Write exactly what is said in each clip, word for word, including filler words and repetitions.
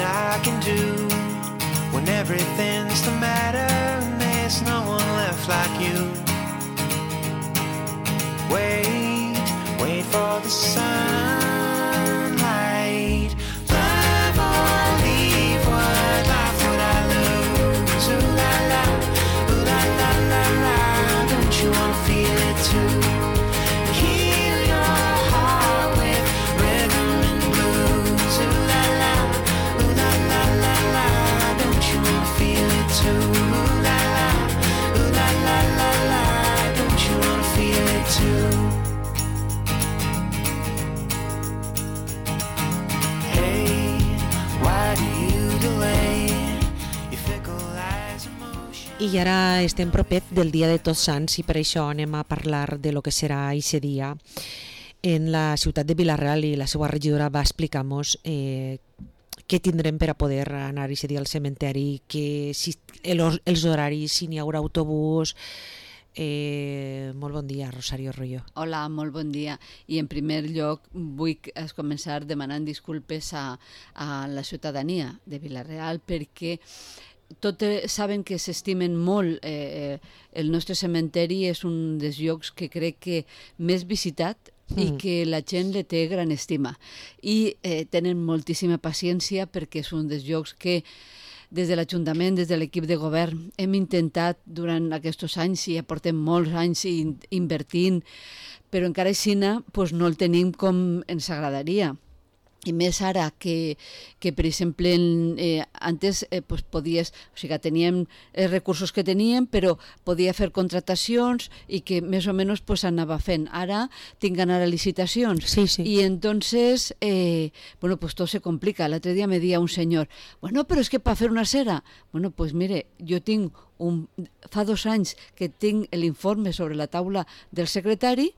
I can do when everything's the matter and there's no one left like you. Wait, wait for the sunlight. Love or leave, what life would I lose? Ooh la la, ooh la la la la. Don't you wanna feel it too? Heal your heart with rhythm and blues. Ooh la la, ooh la la la la. Don't you wanna feel it too? Ooh la la, ooh la la la la. Don't you wanna feel it too? I ara estem propet del dia de Tots Sants i per això anem a parlar de lo que serà aquest dia. En la ciutat de Vila-real i la seva regidora va explicar-nos eh, què tindrem per a poder anar aquest dia al cementeri, que si, el, els horaris, si n'hi haurà autobús. Eh, molt bon dia, Rosario Royo. Hola, molt bon dia. I en primer lloc vull començar demanant disculpes a, a la ciutadania de Vila-real perquè tot saben que s'estimen molt. Eh, el nostre cementeri és un dels llocs que crec que més visitat mm. i que la gent le té gran estima. I eh, tenen moltíssima paciència perquè és un dels llocs que des de l'Ajuntament, des de l'equip de govern, hem intentat durant aquests anys, i ja portem molts anys invertint, però encara així pues, no el tenim com ens agradaria. I més ara que, que per exemple, eh, antes eh, pues podies, o sigui, teníem els recursos que teníem, però podia fer contratacions i que més o menys pues, anava fent. Ara tinc d'anar a licitacions. Sí, sí. I entonces, eh, bueno, pues todo se complica. L'altre dia me dia un senyor, bueno, però és que per fer una cera, bueno, pues mire, jo tinc un, fa dos anys que tinc l'informe sobre la taula del secretari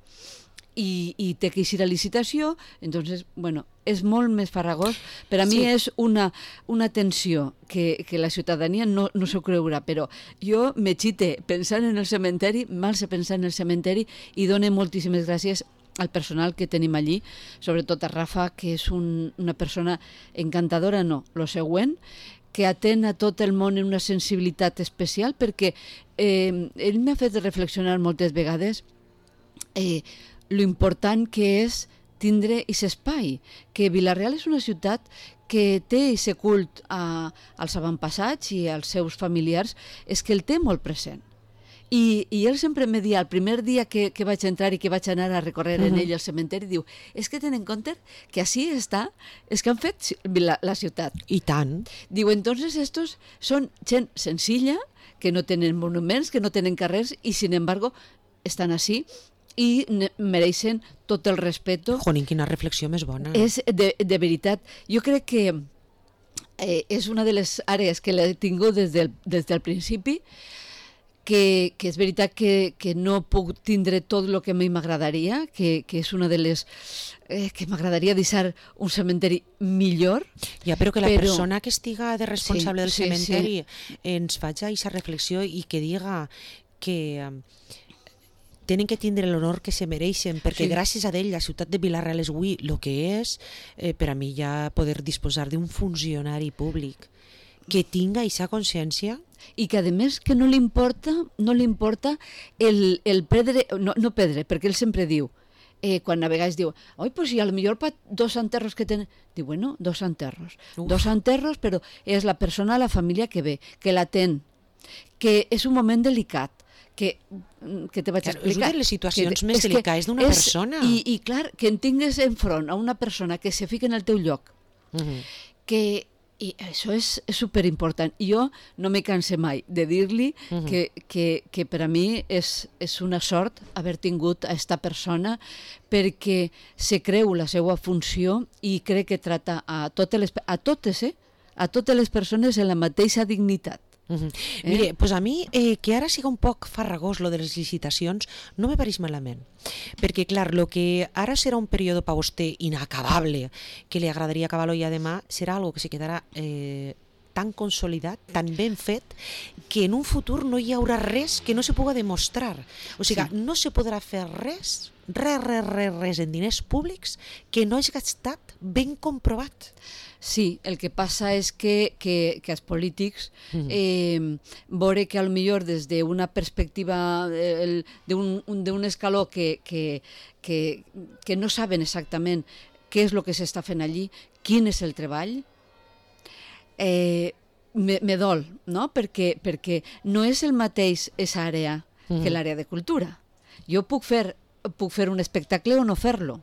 i, i té que ir a licitació, entonces, bueno, és molt més farragós. Per a mi sí. És una, una tensió que, que la ciutadania no, no s'ho creurà, però jo me xite pensant en el cementeri, mal se pensar en el cementeri, i dono moltíssimes gràcies al personal que tenim allí, sobretot a Rafa, que és un, una persona encantadora, no, lo següent, que atén a tot el món en una sensibilitat especial, perquè eh, ell m'ha fet reflexionar moltes vegades eh, lo important que és tindre aquest espai, que Vila-real és una ciutat que té aquest cult a, als avantpassats i als seus familiars, és que el té molt present. I, i ell sempre me dia, el primer dia que, que vaig entrar i que vaig anar a recórrer uh-huh. en ell al cementeri, diu, és que tenen en compte que així està, és que han fet la, la ciutat. I tant. Diu, entonces estos són gent senzilla, que no tenen monuments, que no tenen carrers, i sin embargo estan així, i mereixen tot el respecte. Jonin, quina reflexió més bona. És de, de veritat. Jo crec que eh, és una de les àrees que l'he tingut des del, des del principi, que, que és veritat que, que no puc tindre tot el que a mi m'agradaria, que, que és una de les... Eh, que m'agradaria deixar un cementeri millor. Ja, però que la però... persona que estiga de responsable sí, del sí, cementeri sí. ens faci aquesta reflexió i que diga que... tenen que tindre l'honor que se mereixen, perquè sí. gràcies a ell la ciutat de Vila-real és avui el que és, eh, per a mi ja poder disposar d'un funcionari públic que tinga aquesta consciència. I que a més que no li importa, no li importa el, el perdre, no, no perdre, perquè ell sempre diu, eh, quan a vegades diu, oi, pues si a lo millor pa dos enterros que tenen, diu, bueno, dos enterros, Uf. dos enterros, però és la persona, la família que ve, que l'atén, que és un moment delicat, que, que te vaig claro, explicar. És una de les situacions que, més delicades d'una persona. I, I clar, que en tingues enfront a una persona que se fica en el teu lloc, uh-huh. que i això és, és superimportant. Jo no me canse mai de dir-li uh-huh. que, que, que per a mi és, és una sort haver tingut a esta persona, perquè se creu la seva funció i crec que trata a totes les, a totes, eh? a totes les persones en la mateixa dignitat. Uh-huh. Eh? Mire, pues a mi eh, que ara siga un poc farragós lo de les licitacions no me pareix malament, perquè clar, lo que ara serà un període per vostè inacabable, que li agradaria acabar-lo ja demà, serà algo que se quedarà eh, tan consolidat, tan ben fet, que en un futur no hi haurà res que no se pugui demostrar. O sigui, Sí. no se podrà fer res, res, res, res, res en diners públics que no hagi estat ben comprovat. Sí, el que passa és que, que, que els polítics Mhm. eh, veure que a lo millor des d'una perspectiva eh, el- d'un un, d'un escaló que, que, que, que no saben exactament què és el que s'està fent allí, quin és el treball, eh, me, me dol, no? Perquè, perquè no és el mateix esa àrea que Mhm. l'àrea de cultura. Jo puc fer, puc fer un espectacle o no fer-lo.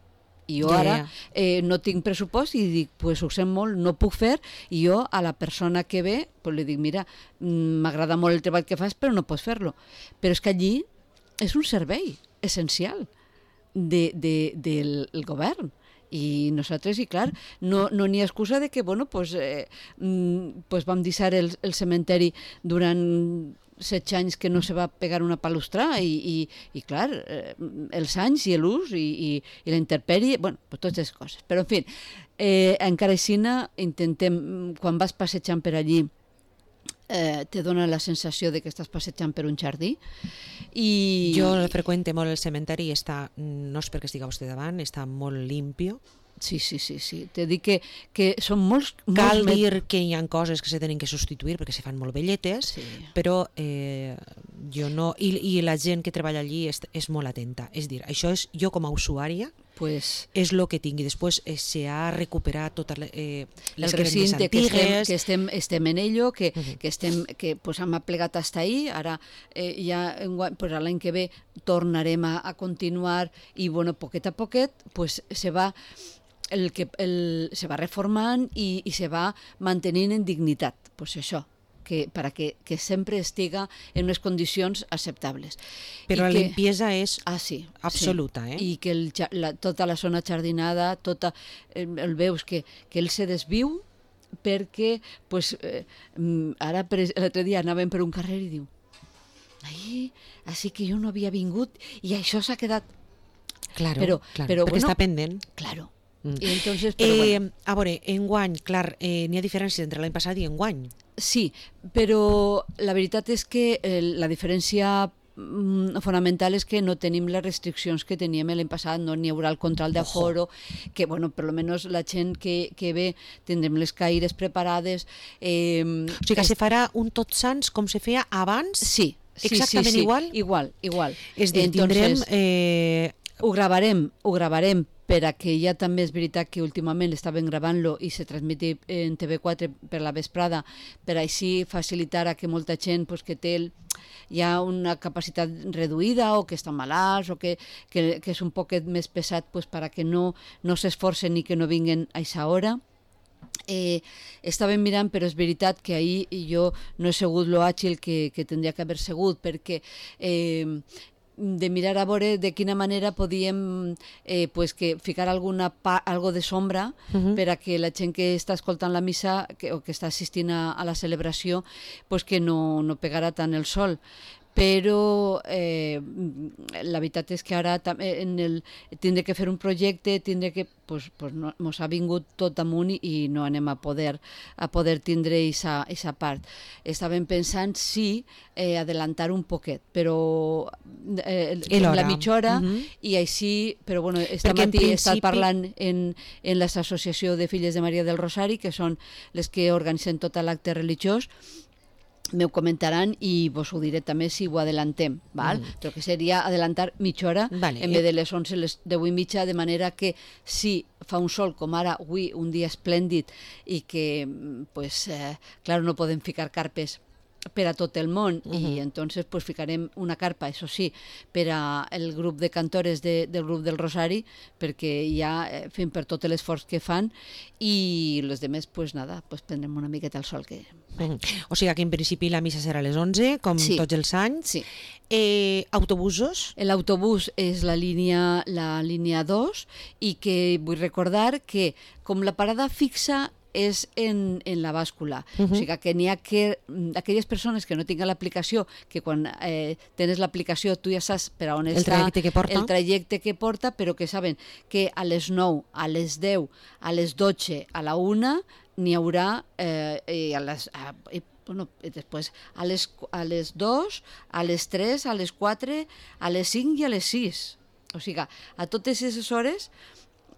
I jo Ja, ara ja. eh, no tinc pressupost i dic, pues ho sent molt, no puc fer, i jo a la persona que ve pues, li dic, mira, mm, m'agrada molt el treball que fas, però no pots fer-lo. Però és que allí és un servei essencial de, de, del el govern. I nosaltres, i clar, no no n'hi ha excusa de que, bueno, pues, eh, mm, pues vam deixar el, el cementeri durant set anys que no se va pegar una palustra i, i, i clar, eh, els anys i l'ús i, i, i la intempèrie, bueno, pues totes les coses. Però, en fi, eh, encara així intentem, quan vas passejant per allí, eh, te dona la sensació de que estàs passejant per un jardí. I... Jo freqüente molt el cementeri i està, no és perquè estigui vostè davant, està molt limpio. Sí, sí, sí, sí. Te dic que, que són molts... Cal molts dir que hi ha coses que se tenen que substituir perquè se fan molt velletes, Sí. però eh, jo no... I, I la gent que treballa allí és, és molt atenta. És dir, això és jo com a usuària, Pues, és el que tinc. I després eh, se ha recuperat totes les, eh, les el cremes recinte que estem, antigues. que estem, estem en ello, que, Mhm. que, estem, que pues, hem aplegat hasta ahí, ara eh, ja enguany- pues, l'any que ve tornarem a, a continuar i bueno, poquet a poquet pues, se va el que el, se va reformant i, i se va mantenint en dignitat, pues això, que, para que, que sempre estiga en unes condicions acceptables. Però I la que, limpiesa és ah, sí, absoluta, sí. eh? I que el, ja- la, tota la zona jardinada, tota, el, el veus que, que ell se desviu perquè pues, eh, mm, ara per, l'altre dia anàvem per un carrer i diu ai, així que jo no havia vingut i això s'ha quedat Claro, Però- claro, però, perquè bueno, està pendent. claro. Mm. I entonces, però, Eh, bueno, A veure, enguany, clar, eh, n'hi ha diferència entre l'any passat i enguany. sí, però la veritat és que eh, la diferència mm, fonamental és que no tenim les restriccions que teníem l'any passat, no n'hi haurà el control d'aforo, que, bueno, per lo menos la gent que, que ve tindrem les caires preparades. Eh, O sigui que se farà un Tots Sants com se feia abans? Sí, sí, Exactament sí, sí. igual? Igual, igual. És dir, tindrem... Entonces, Eh, ho gravarem, ho gravarem per a que ja també és veritat que últimament estaven gravant-lo i se transmeti en T V quatre per la vesprada, per així facilitar a que molta gent pues, que té el, ja una capacitat reduïda o que està malalts o que, que, que és un poquet més pesat pues, per a que no, no s'esforcen i que no vinguen a aquesta hora. Eh, estàvem mirant, però és veritat que ahir jo no he segut lo àgil que, que tindria que haver segut, perquè eh, de mirar a veure de quina manera podíem eh, pues que ficar alguna pa, algo de sombra Mhm. per a que la gent que està escoltant la missa que, o que està assistint a, a la celebració pues que no, no pegara tant el sol. Però eh, la veritat és que ara també en el, tindré que fer un projecte, tindré que, pues, pues no, mos ha vingut tot amunt i, i no anem a poder, a poder tindre aquesta part. Estàvem pensant sí eh, adelantar un poquet, però eh, I l'hora. la mitja hora Mhm. i així, però bueno, esta Perquè en matí he estat principi- parlant en, en l'Associació de Filles de Maria del Rosari, que són les que organitzen tot l'acte religiós, me ho comentaran i vos ho diré també si ho adelantem, val? Mm. Però que seria adelantar mitja hora Vale. en vez de les onze, les deu i mitja, de manera que si fa un sol com ara avui, un dia esplèndid i que, mm, pues, eh, clar, no podem ficar carpes per a tot el món Mhm. i entonces pues ficarem una carpa, això sí, per a el grup de cantores de, del grup del Rosari, perquè ja eh, fem per tot l'esforç que fan i les demés pues nada, pues prendrem una miqueta el sol que... Mhm. O sigui que en principi la missa serà a les onze, com Sí. tots els anys. Sí. Eh, autobusos? L'autobús és la línia, la línia dos i que vull recordar que com la parada fixa és en, en la bàscula. Uh -huh. O sigui que n'hi ha que... Aquelles persones que no tinguen l'aplicació, que quan eh, tens l'aplicació tu ja saps per a on el està trajecte que porta. el trajecte que porta, però que saben que a les nou, a les deu, a les dotze, a la una n'hi haurà eh, i a les... A, i, bueno, i després a les, a les dos, a les tres, a les quatre, a les cinc i a les sis. O sigui, a totes aquestes hores,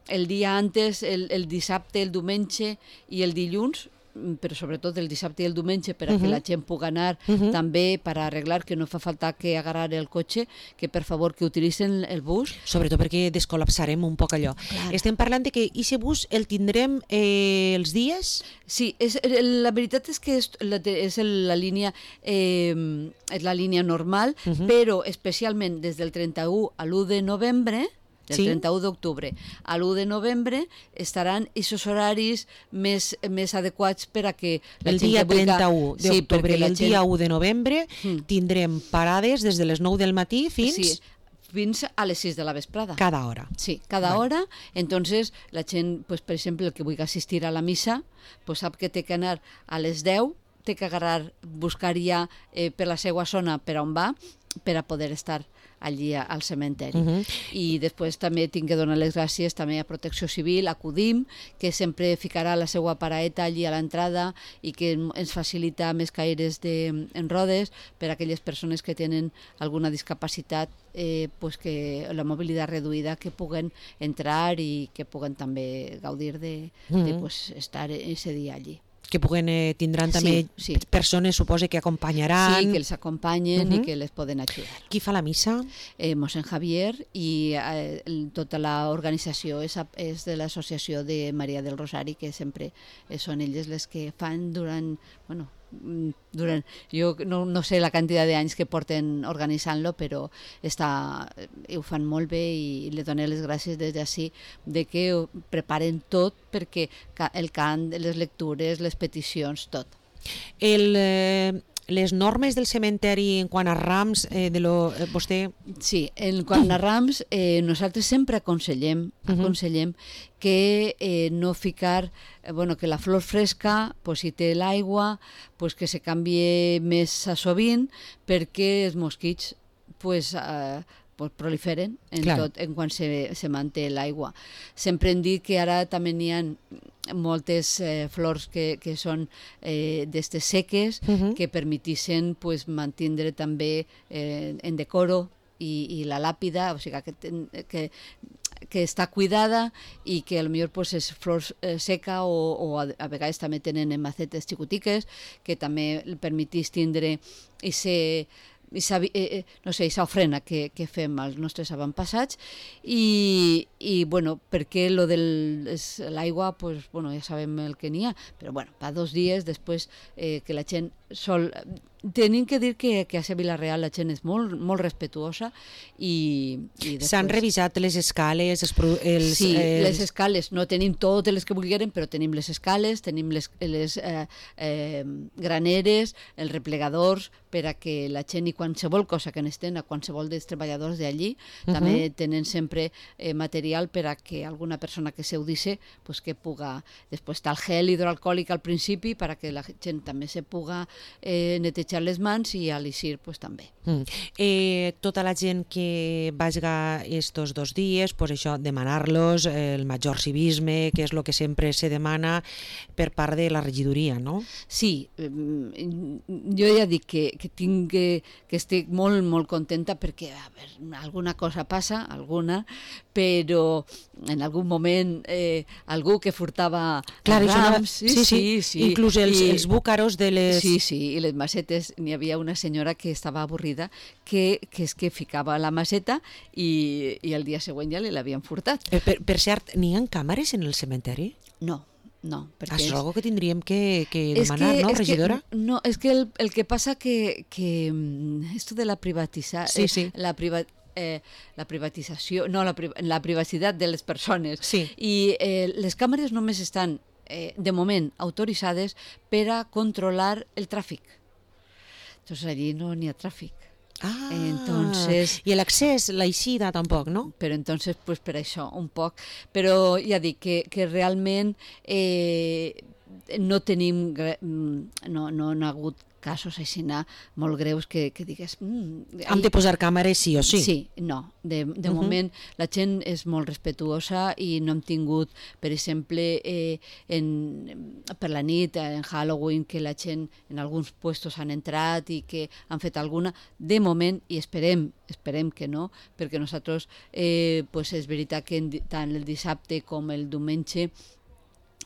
el dia antes, el, el dissabte, el diumenge i el dilluns, però sobretot el dissabte i el diumenge per a uh -huh. que la gent pugui anar uh -huh. també per arreglar, que no fa falta que agarrar el cotxe, que per favor que utilitzen el bus. Sobretot perquè descol·lapsarem un poc allò. Clar. Estem parlant de que aquest bus el tindrem eh, els dies? Sí, és, la veritat és que és la, és la línia eh, és la línia normal, uh -huh. però especialment des del trenta-u a l'u de novembre, del sí? trenta-u d'octubre a l'u de novembre estaran aquests horaris més, més adequats per a que la el gent dia que vulgui... trenta-u d'octubre sí, i el gent... dia u de novembre mm. tindrem parades des de les nou del matí fins... Sí, fins a les sis de la vesprada. Cada hora. Sí, cada vale. hora. Entonces, la gent, pues, per exemple, el que vulgui assistir a la missa, pues, sap que té que anar a les deu, té que agarrar, buscar ja eh, per la seva zona per on va, per a poder estar allí al cementeri. Uh -huh. I després també tinc que donar les gràcies també a Protecció Civil, a CUDIM, que sempre ficarà la seva paraeta allí a l'entrada i que ens facilita més caires de, en rodes per a aquelles persones que tenen alguna discapacitat, eh, pues que la mobilitat reduïda, que puguen entrar i que puguen també gaudir de, uh -huh. de pues, estar ese dia allí. Que puguen, eh, tindran també sí, sí. persones, suposa, que acompanyaran. Sí, que els acompanyen uh -huh. i que les poden ajudar. Qui fa la missa? Eh, Mossèn Javier i eh, tota l'organització és, és de l'associació de Maria del Rosari, que sempre eh, són elles les que fan durant... Bueno, durant, jo no, no sé la quantitat d'anys que porten organitzant-lo, però està, ho fan molt bé i li dono les gràcies des d'ací de que ho preparen tot perquè el cant, les lectures, les peticions, tot. El... Eh... Les normes del cementeri en quant a rams, eh, de lo, eh, vostè... Sí, en quant a rams, eh, nosaltres sempre aconsellem, aconsellem uh -huh. que eh, no ficar, eh, bueno, que la flor fresca, pues, si té l'aigua, pues, que se canvie més a sovint, perquè els mosquits pues, eh, pues, proliferen en, tot, en quan se, se manté l'aigua. Sempre hem dit que ara també n'hi ha moltes eh, flors que, que són eh, d'estes seques, uh -huh. que permetissin pues, mantindre també eh, en decoro i, i la làpida, o sigui que, que, que està cuidada i que potser pues, és flor eh, seca o, o a, a vegades també tenen en macetes xicotiques que també permetís tindre i ser I sa, eh, no sé, aquesta ofrena que, que fem als nostres avantpassats i, i bueno, perquè lo de l'aigua, pues, bueno, ja sabem el que n'hi ha, però bueno, fa dos dies després eh, que la gent sol... Tenim que dir que, que a Vila-real la gent és molt, molt respetuosa i, i després... S'han revisat les escales, els... els sí, els... les escales, no tenim totes les que vulgueren, però tenim les escales, tenim les, les eh, eh, graneres, els replegadors, per a que la gent i qualsevol cosa que n'estén, a qualsevol dels treballadors d'allí, uh -huh. també tenen sempre eh, material per a que alguna persona que s'eudisse, pues, que puga... Després està el gel hidroalcohòlic al principi, per a que la gent també se puga eh, netejar les mans i a l'Isir pues, també. Mm. Eh, tota la gent que vagi estos dos dies, pues això, demanar-los el major civisme, que és el que sempre se demana per part de la regidoria, no? Sí, jo ja dic que, que, tinc, que, que estic molt, molt contenta perquè a veure, alguna cosa passa, alguna, però en algun moment eh, algú que furtava Clar, rams, no... sí, sí, sí, sí. Inclús els, I, els búcaros de les... Sí, sí, i les macetes, n'hi havia una senyora que estava avorrida, que, que és que ficava la maceta i, i el dia següent ja l'havien furtat. Eh, per, per cert, n'hi ha càmeres en el cementeri? No. No, perquè és algo que tindríem que, que és demanar, que, no, és regidora? Que, no, és que el, el que passa que, que esto de la privatizar, sí, sí. la priva, eh, la privatització, no, la, la privacitat de les persones. Sí. I eh, les càmeres només estan, eh, de moment, autoritzades per a controlar el tràfic. Entonces allí no n'hi ha tràfic. Ah, entonces, i l'accés, l'eixida tampoc, no? Però entonces, pues per això, un poc. Però ja dic que, que realment eh, no tenim, gre- mm, no, no han hagut casos així molt greus que, que digues... Mm, Hem de posar càmeres sí o sí. Sí, no. De, de Mhm. moment la gent és molt respetuosa i no hem tingut, per exemple, eh, en, per la nit, en Halloween, que la gent en alguns puestos han entrat i que han fet alguna. De moment, i esperem, esperem que no, perquè nosaltres, eh, pues és veritat que en, di- tant el dissabte com el diumenge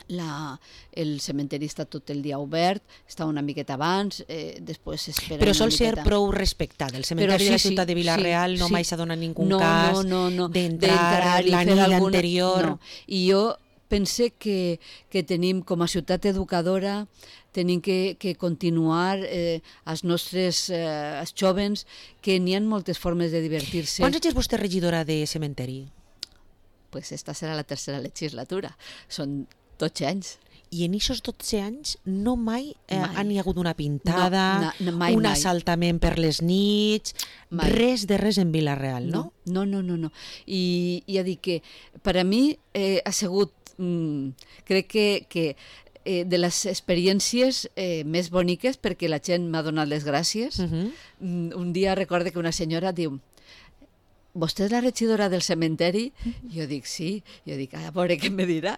La, el cementeri està tot el dia obert, està una miqueta abans, eh, després s'espera Però una sol ser miqueta. prou respectat. El cementeri sí, de la sí, ciutat de Vila-real sí, no sí. mai s'ha donat ningú no, cas no, no, no. d'entrar i la fer nit alguna- anterior. No. I jo pense que, que tenim, com a ciutat educadora, tenim que, que continuar eh, als nostres eh, als jovens, que n'hi ha moltes formes de divertir-se. Quants anys és vostè regidora de cementeri? Pues esta serà la tercera legislatura. Són dotze anys. I en aquests dotze anys no mai, eh, Mai. han hi hagut una pintada, No, no, mai, un mai. assaltament per les nits, Mai. res de res en Vila-real, no? No, no, no, no. I ja dic que per a mi eh, ha sigut, mm, crec que, que eh, de les experiències eh, més boniques, perquè la gent m'ha donat les gràcies. Uh -huh. Mm, un dia recorde que una senyora diu: vostè és la regidora del cementeri? Jo dic, sí. Jo dic, a veure què me dirà.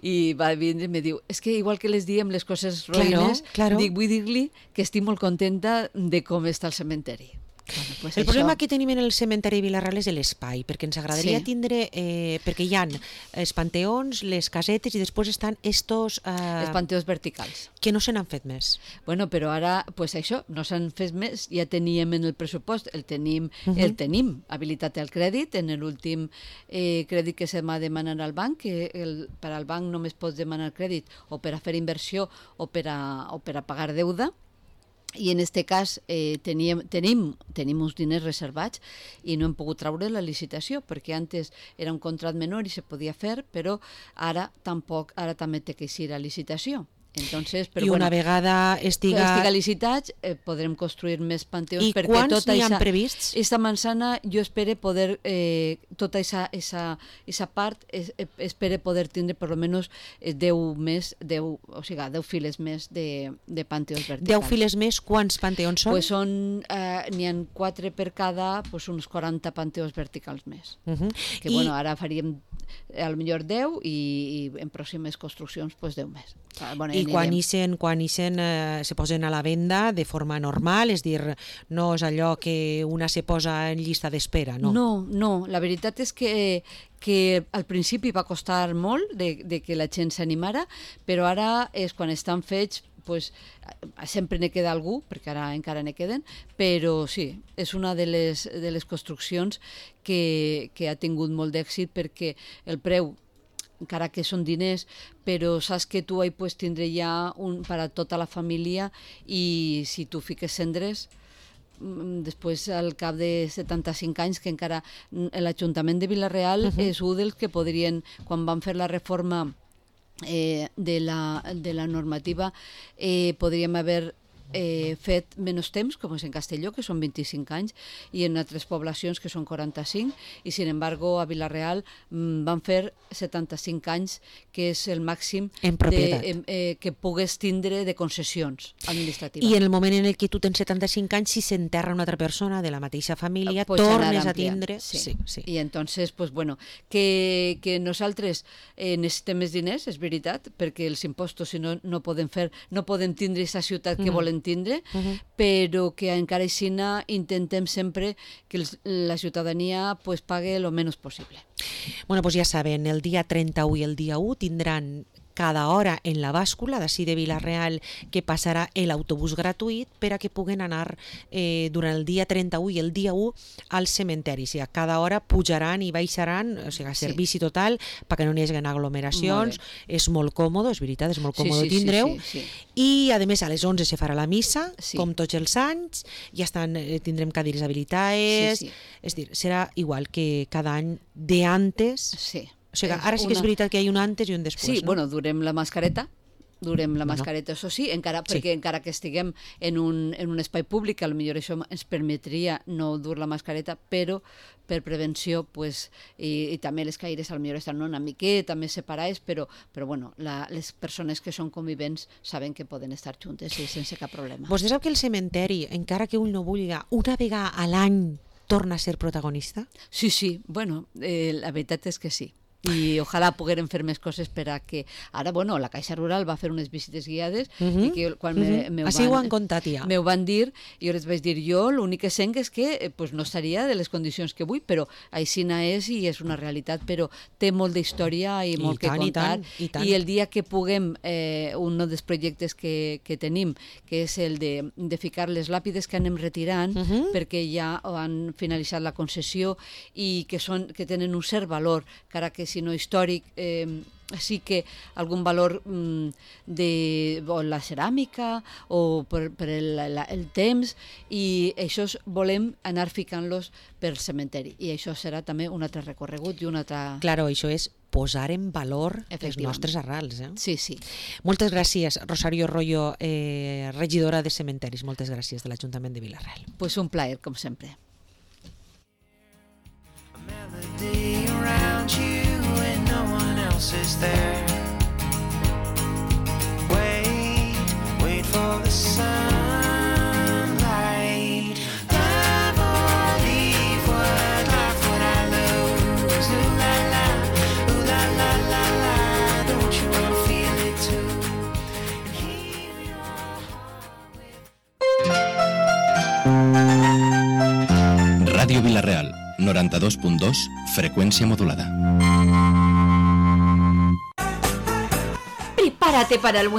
I va vindre i me diu, és que igual que les diem les coses Claro, roïnes, claro. dic, vull dir-li que estic molt contenta de com està el cementeri. Bueno, pues El això. problema que tenim en el cementeri de Vila-real és l'espai, perquè ens agradaria Sí. tindre, eh, perquè hi ha els panteons, les casetes i després estan estos eh, Els panteons verticals. que no se n'han fet més. Bueno, però ara, pues això, no s'han fet més, ja teníem en el pressupost, el tenim, uh Mhm. -huh. el tenim habilitat al crèdit, en l'últim eh, crèdit que se m'ha demanat al banc, que el, per al banc només pots demanar crèdit o per a fer inversió o per a, o per a pagar deuda, i en aquest cas eh, teníem, tenim, tenim uns diners reservats i no hem pogut treure la licitació, perquè antes era un contracte menor i se podia fer, però ara tampoc, ara també té que eixir a licitació. Entonces, però I una bueno, vegada estiga... estiga licitats, eh, podrem construir més panteons. I perquè quants tota n'hi han eixa- prevists? Esta manzana jo espero poder, eh, tota esa, esa, esa part, es, eh, espero poder tindre per lo menos eh, deu més, deu, o sigui, deu files més de, de panteons verticals. Deu files més, quants panteons són? Pues són, eh, n'hi ha quatre per cada, pues uns quaranta panteons verticals més. Uh -huh. Que I, bueno, ara faríem eh, a lo millor deu i, i en pròximes construccions pues deu més. Ah, bueno, I anirem. quan ixen, quan ixen eh, se posen a la venda de forma normal, és dir, no és allò que una se posa en llista d'espera, no? No, no, la veritat és que, que al principi va costar molt de, de que la gent s'animara, però ara és quan estan fets, pues, sempre ne queda algú, perquè ara encara ne queden, però sí, és una de les, de les construccions que, que ha tingut molt d'èxit, perquè el preu, encara que són diners, però saps que tu hi pots tindre ja un, per a tota la família, i si tu fiques cendres, mm, després al cap de setanta-cinc anys, que encara mm, l'Ajuntament de Vila-real Uh-huh. és un dels que podrien, quan van fer la reforma eh, de, la, de la normativa, eh, podríem haver eh, fet menys temps, com és en Castelló, que són vint-i-cinc anys, i en altres poblacions, que són quaranta-cinc, i sin embargo a Vila-real mm, van fer setanta-cinc anys, que és el màxim En propietat. de, eh, que pogués tindre de concessions administratives. I en el moment en el que tu tens setanta-cinc anys, si s'enterra una altra persona de la mateixa família, Pues anar tornes a ampliant, tindre... sí. Sí, sí. I entonces, pues bueno, que, que nosaltres eh, necessitem més diners, és veritat, perquè els impostos, si no, no podem fer, no podem tindre aquesta ciutat que Mhm. volem tindre, Mhm. però que encara així intentem sempre que els, la ciutadania pues, pague lo menos possible. Bueno, pues ja saben, el dia trenta-u i el dia u tindran cada hora en la bàscula d'ací de Vila-real, que passarà l'autobús gratuït per a que puguen anar eh, durant el dia trenta-u i el dia u al cementeri. O sigui, cada hora pujaran i baixaran, o sigui, Sí. servici total perquè no n'hi hagi aglomeracions. Molt És molt còmode, és veritat, és molt Sí, còmode sí, sí, tindreu. sí, sí. I, a més, a les onze se farà la missa, Sí. com tots els anys, ja estan, eh, tindrem cadires habilitades, Sí, sí. és dir, serà igual que cada any de antes. Sí. O sigui, És ara sí que és una- veritat que hi ha un antes i un després, Sí, no? bueno, durem la mascareta, durem la Bueno. mascareta, això sí, encara, Sí. perquè encara que estiguem en un, en un espai públic, a lo millor això ens permetria no dur la mascareta, però per prevenció, pues, i, i també les caires a lo millor estan una miqueta més separades, però, però bueno, la, les persones que són convivents saben que poden estar juntes i sense cap problema. Vostè sap que el cementeri, encara que un no vulgui, una vegada a l'any torna a ser protagonista? Sí, sí, bueno, eh, la veritat és que sí. I ojalà poguérem fer més coses per a que... Ara, bueno, la Caixa Rural va fer unes visites guiades Uh -huh. i que quan uh -huh. me, me Així ho han van, contat ja. me ho van dir, jo les vaig dir, jo l'únic que sent és que eh, pues no estaria de les condicions que vull, però aixina és i és una realitat, però té molt d'història i I molt tant, que i contar. tant, i tant. I el dia que puguem, eh, un dels projectes que, que tenim, que és el de, de ficar les làpides que anem retirant, Uh -huh. perquè ja han finalitzat la concessió i que, són, que tenen un cert valor, encara que si no històric, eh, sí que algun valor mm, de o la ceràmica o per, per el, la, el temps, i això volem anar ficant-los pel cementeri, i això serà també un altre recorregut i un altre... Claro, això és posar en valor les Efectivament. nostres arrels. Eh? Sí, sí. Moltes gràcies, Rosario Royo, eh, regidora de Cementeris. Moltes gràcies de l'Ajuntament de Vila-real. Pues un plaer, com sempre. A melody around you and no one else is there. Wait, wait for the sunlight. Love or leave, what life would I lose? Ooh la la, ooh la la la la. Don't you wanna feel it too? And heal your heart with Ràdio Vila-real, noranta-dos punt dos, freqüència modulada. Prepárate para el buen